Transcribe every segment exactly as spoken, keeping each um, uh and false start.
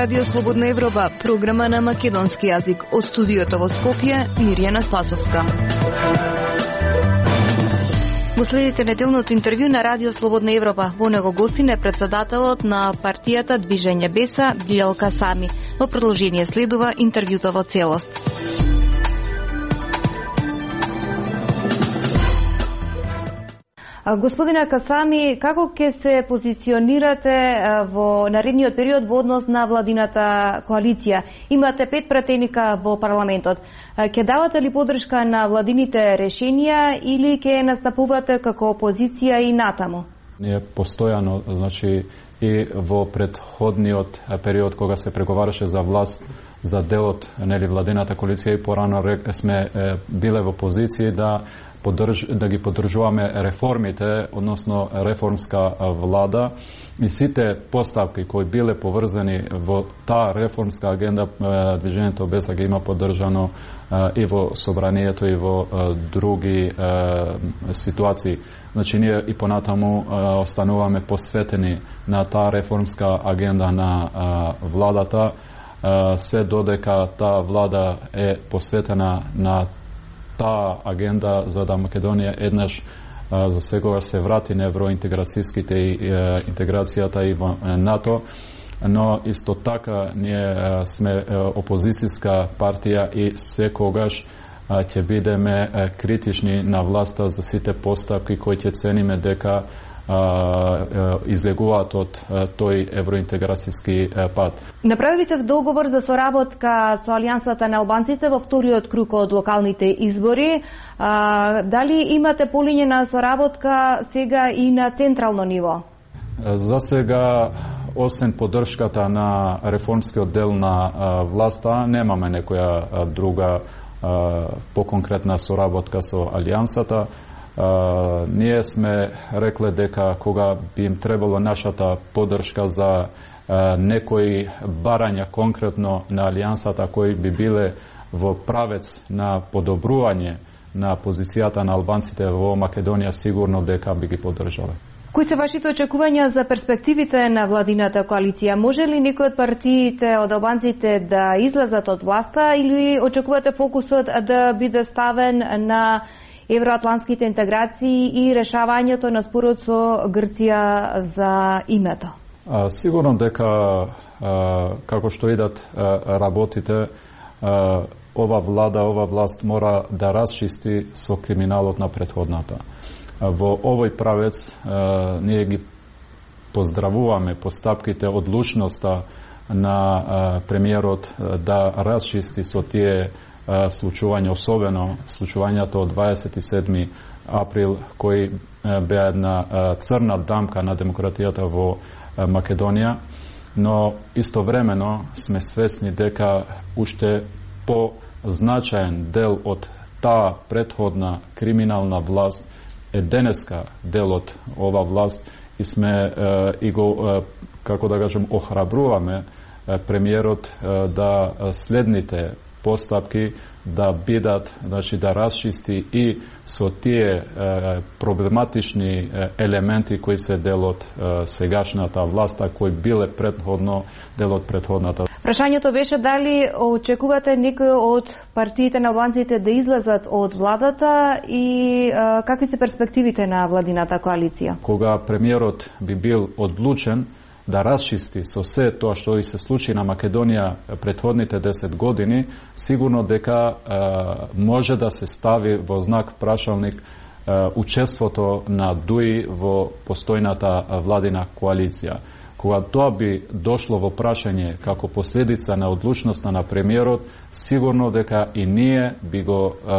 Радио Слободна Европа, програма на македонски јазик. Од студиото во Скопје, Мирјана Спасовска. Го следите неделното интервју на Радио Слободна Европа. Во него гостин е председателот на партијата Движење Беса, Билјал Касами. Во продолжение следува интервјуто во целост. Господине Касами, како ќе се позиционирате во наредниот период во однос на владината коалиција? Имате пет пратеника во парламентот. Ќе давате ли поддршка на владините решенија или ќе настапувате како опозиција и натаму? Ние постојано, значи и во претходниот период кога се преговараше за власт за делот нели владината коалиција и порано сме биле во позиција да Поддрж, да ги поддржуваме реформите, односно реформска влада и сите поставки кои биле поврзани во таа реформска агенда, Движењето Беса ги има поддржано и во собранието и во други ситуации. Значи ние и понатаму остануваме посветени на таа реформска агенда на владата, се додека таа влада е посветена на таа агенда за да Македонија еднаш за секогаш се врати на евроинтеграцијските и интеграцијата и во НАТО, но исто така ние сме опозицијска партија и секогаш ќе бидеме критични на власта за сите поставки кои ќе цениме дека излегуваат од тој евроинтеграцијски пат. Направивте договор за соработка со Алијансата на албанците во вториот круг од локалните избори. А, дали имате полињена соработка сега и на централно ниво? За сега, освен поддршката на реформскиот дел на власта, немаме некоја друга поконкретна соработка со Алијансата. Uh, ние сме рекле дека кога би им требало нашата поддршка за uh, некои барања конкретно на Алијансата кои би биле во правец на подобрување на позицијата на албанците во Македонија, сигурно дека би ги поддржале. Кои се вашите очекувања за перспективите на владината коалиција? Може ли некој од партиите од албанците да излезат од власта или очекувате фокусот да биде ставен на евроатлантските интеграции и решавањето на спорот со Грција за името? А, сигурно дека а, како што идат а, работите, а, ова влада, ова власт мора да расчисти со криминалот на претходната. А, во овој правец а, ние ги поздравуваме постапките, одлучноста на а, премиерот а, да расчисти со тие случувања, особено случувањето од дваесет и седми април, кои беа една црна дамка на демократијата во Македонија, но истовремено сме свесни дека уште по-значаен дел од таа претходна криминална власт е денеска дел од ова власт и сме и го, како да кажем, охрабруваме премиерот да следните постапки да бидат, значи да расчисти и со тие е, проблематични е, елементи кои се дел од е, сегашната власта, кои биле претходно дел од претходната. Прашањето беше дали очекувате некој од партиите на албанците да излезат од владата и е, какви се перспективите на владината коалиција? Кога премиерот би бил одлучен да расчисти со се тоа што и се случи на Македонија претходните десет години, сигурно дека е, може да се стави во знак прашалник е, учеството на ДУИ во постојната владина коалиција. Кога тоа би дошло во прашање како последица на одлучноста на премиерот, сигурно дека и ние би го е,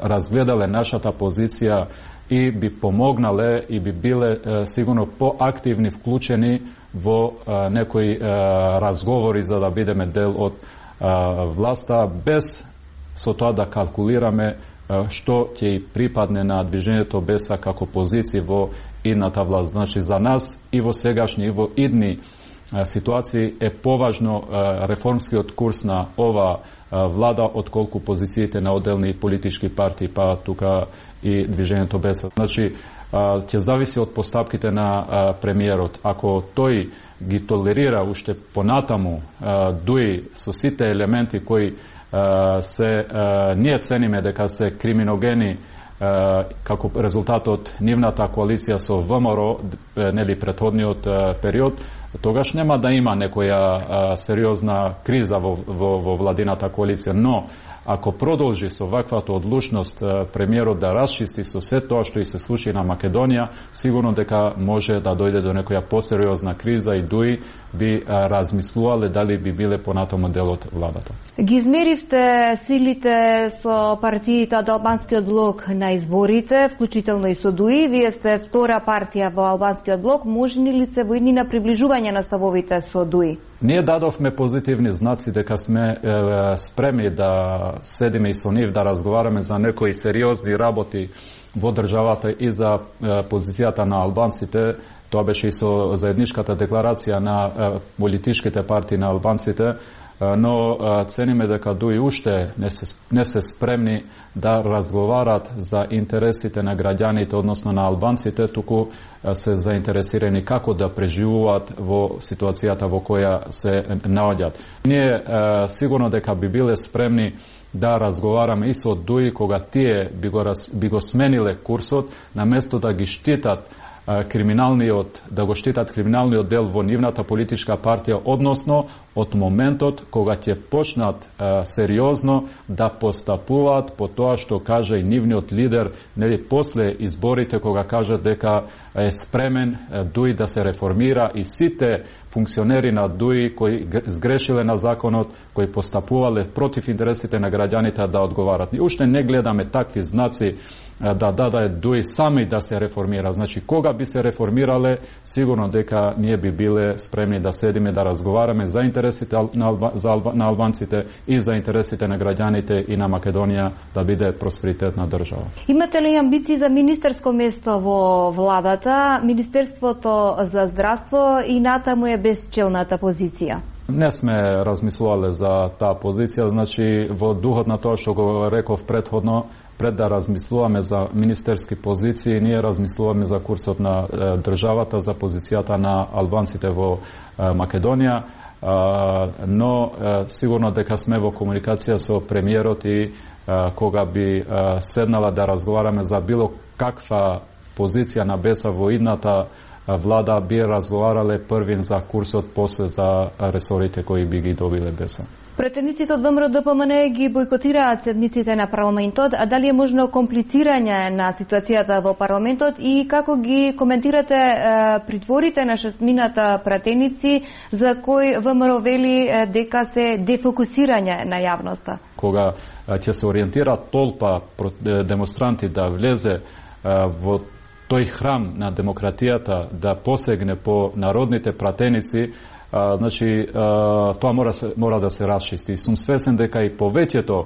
разгледале нашата позиција и би помогнале и би биле е, сигурно поактивни вклучени во а, некои а, разговори за да бидеме дел од а, власта, без со тоа да калкулираме а, што ќе припадне на Движењето Беса како позиција во идната власт. Значи за нас и во сегашни и во идни ситуации е поважно реформскиот курс на ова влада отколку позициите на отделни политички партии, па тука и движењето Беса. Значи, ќе зависи од постапките на премиерот. Ако тој ги толерира уште понатаму дуи со сите елементи кои се ние цениме дека се криминогени како резултат од нивната коалиција со ВМРО, нели претходниот период, тогаш нема да има некоја сериозна криза во, во, во владината коалиција. Но ако продолжи со ваквата одлучност премиерот да расчисти со се тоа што и се случи на Македонија, сигурно дека може да дојде до некоја посериозна криза и дуи би размислувале дали би биле понатаму дел од владата. Ги измеривте силите со партиите од Албанскиот блок на изборите, вклучително и со ДУИ. Вие сте втора партија во Албанскиот блок. Можни ли се во иднина приближување на ставовите со ДУИ? Ние дадовме позитивни знаци дека сме е, спремни да седиме и со нив да разговараме за некои сериозни работи во државата и за е, позицијата на албанците. Тоа беше и со заедничката декларација на е, политичките партии на албанците, е, но е, цениме дека ДУИ уште не се, не се спремни да разговарат за интересите на граѓаните, односно на албанците, туку се заинтересирани како да преживуваат во ситуацијата во која се наоѓаат. Ние е, сигурно дека би биле спремни да разговараме и со ДУИ кога тие би го, раз, би го смениле курсот, наместо да ги штитат криминалниот, да го штитат криминалниот дел во нивната политичка партија, односно од моментот кога ќе почнат е, сериозно да постапуваат по тоа што каже и нивниот лидер, нели после изборите кога каже дека е спремен е, ДУИ да се реформира и сите функционери на ДУИ кои сгрешиле на законот, кои постапувале против интересите на граѓаните да одговарат. И уште не гледаме такви знаци да даде ДУИ сами да се реформира. Значи, кога би се реформирале, сигурно дека ние би биле спремни да седиме да разговараме за интересите на, алба, за алба, на албанците и за интересите на граѓаните и на Македонија да биде просперитетна држава. Имате ли амбиции за министерско место во владата? Министерството за здравство и натаму е безчелната позиција. Не сме размислувале за таа позиција, значи во духот на тоа што го реков претходно, пред да размислуваме за министерски позиции, ние размислуваме за курсот на е, државата, за позицијата на албанците во е, Македонија, е, но е, сигурно дека сме во комуникација со премиерот и е, кога би е, седнала да разговараме за било каква позиција на Беса во идната влада, би разговарале првин за курсот, после за ресорите кои би ги добиле Беса. Претендиците од ВМРО Д П М Н ги бойкотираат седниците на парламентот, а дали е можно комплицирање на ситуацијата во парламентот и како ги коментирате е, притворите на шестмината пратеници за кои ВМРО вели е, дека се дефокусирање на јавноста? Кога ќе се ориентира толпа демонстранти да влезе е, во тој храм на демократијата, да посегне по народните пратеници, а, значи а, тоа мора, мора да се расчисти. И сум свесен дека и повеќето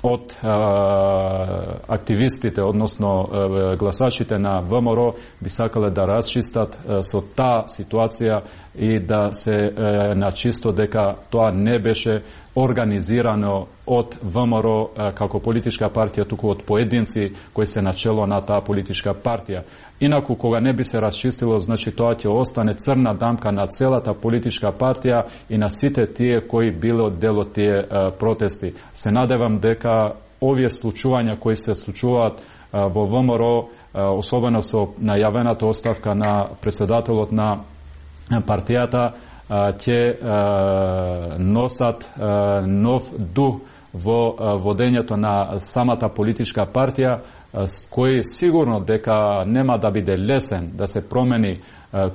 од а, активистите, односно а, гласачите на ВМРО би сакале да расчистат а, со таа ситуација и да се а, начисто дека тоа не беше организирано од ВМРО како политичка партија, туку од поединци кои се начело на таа политичка партија. Инаку, кога не би се расчистило, значи тоа ќе остане црна дамка на целата политичка партија и на сите тие кои биле од дел од тие а, протести. Се надевам дека овие случувања кои се случуваат а, во ВМРО, а, особено со најавената оставка на претседателот на партијата, ќе носат нов дух во водењето на самата политичка партија, кој сигурно дека нема да биде лесен да се промени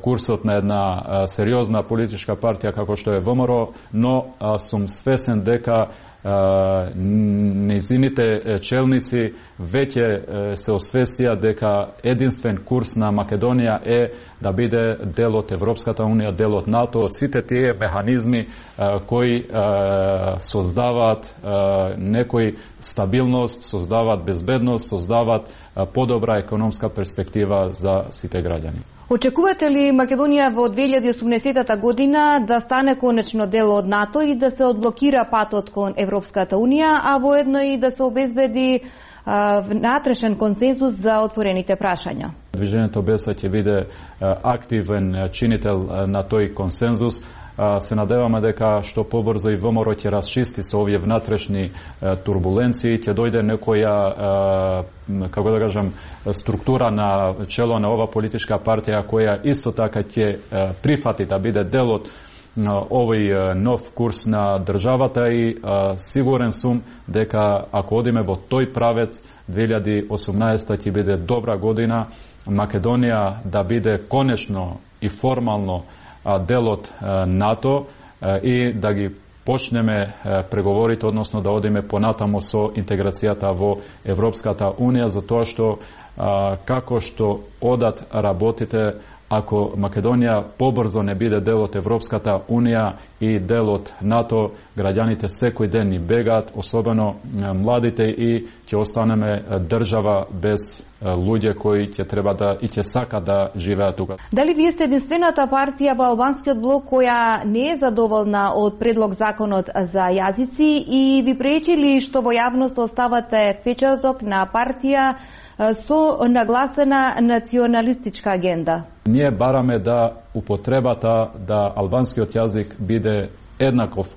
курсот на една сериозна политичка партија како што е ВМРО, но сум свесен дека нејзините челници веќе се освестија дека единствен курс на Македонија е да биде дел од Европската унија, дел од НАТО, од сите тие механизми кои создаваат некој стабилност, создаваат безбедност, создаваат дават подобра економска перспектива за сите граѓани. Очекувате ли Македонија во две илјади и осумнаесетта година да стане конечно дел од НАТО и да се одблокира патот кон Европската Унија, а воедно и да се обезбеди внатрешен консензус за отворените прашања? Движењето Беса ќе биде активен чинител на тој консензус. Се надеваме дека што побрзо и ВМРО ќе расчисти со овие внатрешни турбуленции, ќе дојде некоја, како да кажам, структура на чело на ова политичка партија која исто така ќе прифати да биде дел од овој нов курс на државата и сигурен сум дека ако одиме во тој правец, две илјади и осумнаесетта ќе биде добра година, Македонија да биде конечно и формално дел од НАТО и да ги почнеме преговорите, односно да одиме понатамо со интеграцијата во Европската Унија, затоа што како што одат работите, ако Македонија побрзо не биде дел од Европската Унија и дел од НАТО, граѓаните секој ден ни бегаат, особено младите, и ќе останеме држава без луѓе кои ќе треба да и ќе сака да живеат тука. Дали вие сте единствената партија во албанскиот блок која не е задоволна од предлог законот за јазици и ви пречи ли што во јавност оставате печаток на партија со нагласена националистичка агенда? Ние бараме да употребата да албанскиот јазик биде еднаков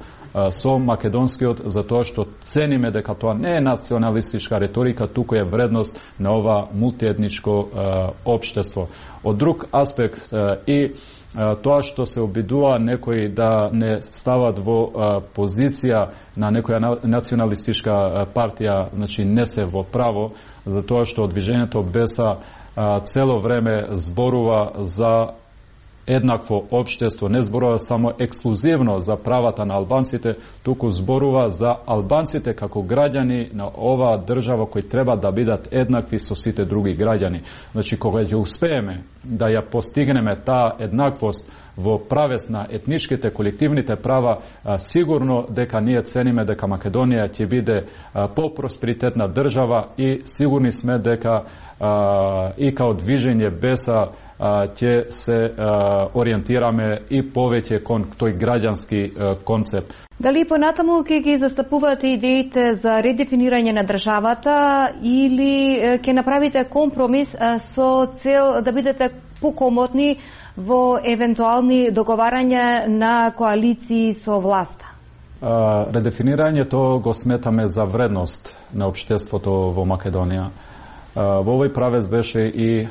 со македонскиот, затоа што цениме дека тоа не е националистичка реторика, туку е вредност на ова мултиетничко општество. Од друг аспект и тоа што се обидува некои да не стават во позиција на некоја националистичка партија, значи не се во право, затоа што движењето Беса цело време зборува за еднакво општество, не зборува само ексклузивно за правата на албанците, туку зборува за албанците како граѓани на оваа држава кои треба да бидат еднакви со сите други граѓани. Значи, кога ќе успееме да ја постигнеме таа еднаквост во правец на етничките, колективните права, сигурно дека ние цениме дека Македонија ќе биде по-просперитетна држава и сигурни сме дека и као движење Беса ќе се ориентираме и повеќе кон тој граѓански концепт. Дали понатаму ќе ги застапувате идеите за редефинирање на државата или ќе направите компромис со цел да бидете покомотни во евентуални договарања на коалиции со власта? Редефинирањето го сметаме за вредност на општеството во Македонија. Во овој правец беше и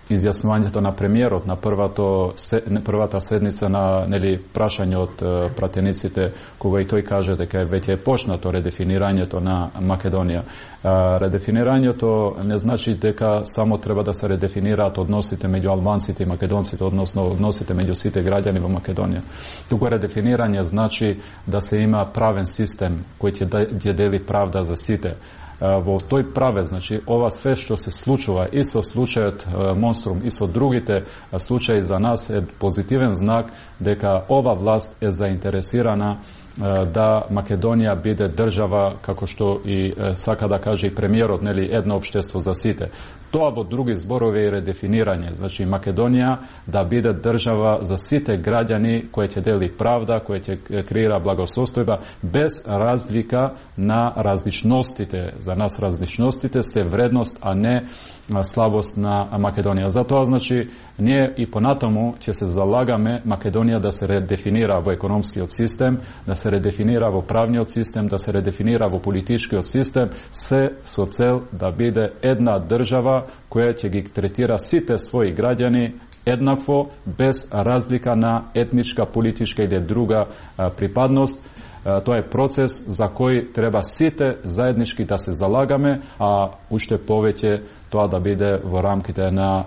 изјаснувањето на премиерот на првато, првата седница на нели прашање од пратениците, кога и тој каже дека веќе е почнато редефинирањето на Македонија. Редефинирањето не значи дека само треба да се редефинираат односите меѓу албанците и македонците, односно односите меѓу сите граѓани во Македонија. Туку редефинирање значи да се има правен систем кој ќе дели правда за сите. Во тој правец, значи, ова све што се случува и со случајот Монструм и со другите случаи за нас е позитивен знак дека ова власт е заинтересирана да Македонија биде држава, како што и сака да каже и премиерот, нели, едно општество за сите. Тоа во други зборови е редефинирање, значи Македонија да биде држава за сите граѓани која ќе дели правда, која ќе креира благосостојба без разлика на различностите. За нас различностите се вредност, а не слабост на Македонија. Затоа, значи, ние и понатаму ќе се залагаме Македонија да се редефинира во економскиот систем, да се редефинира во правниот систем, да се редефинира во политичкиот систем, се со цел да биде една држава која ќе ги третира сите своји граѓани еднакво, без разлика на етничка, политичка или друга припадност. Тоа е процес за кој треба сите заеднички да се залагаме, а уште повеќе тоа да биде во рамките на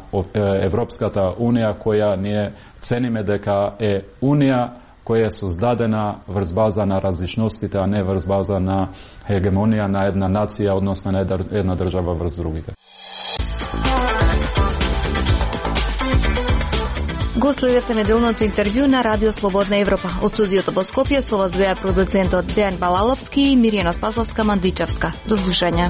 Европската Унија, која ние цениме дека е Унија која е создадена врз база на различностите, а не врз база на хегемонија на една нација, односно на една држава врз другите. Го следевте неделното интервју на Радио Слободна Европа. Од студиото во Скопје со вас беа продуцентот Дејан Балаловски и Мирјана Спасовска Мандичевска. До слушање.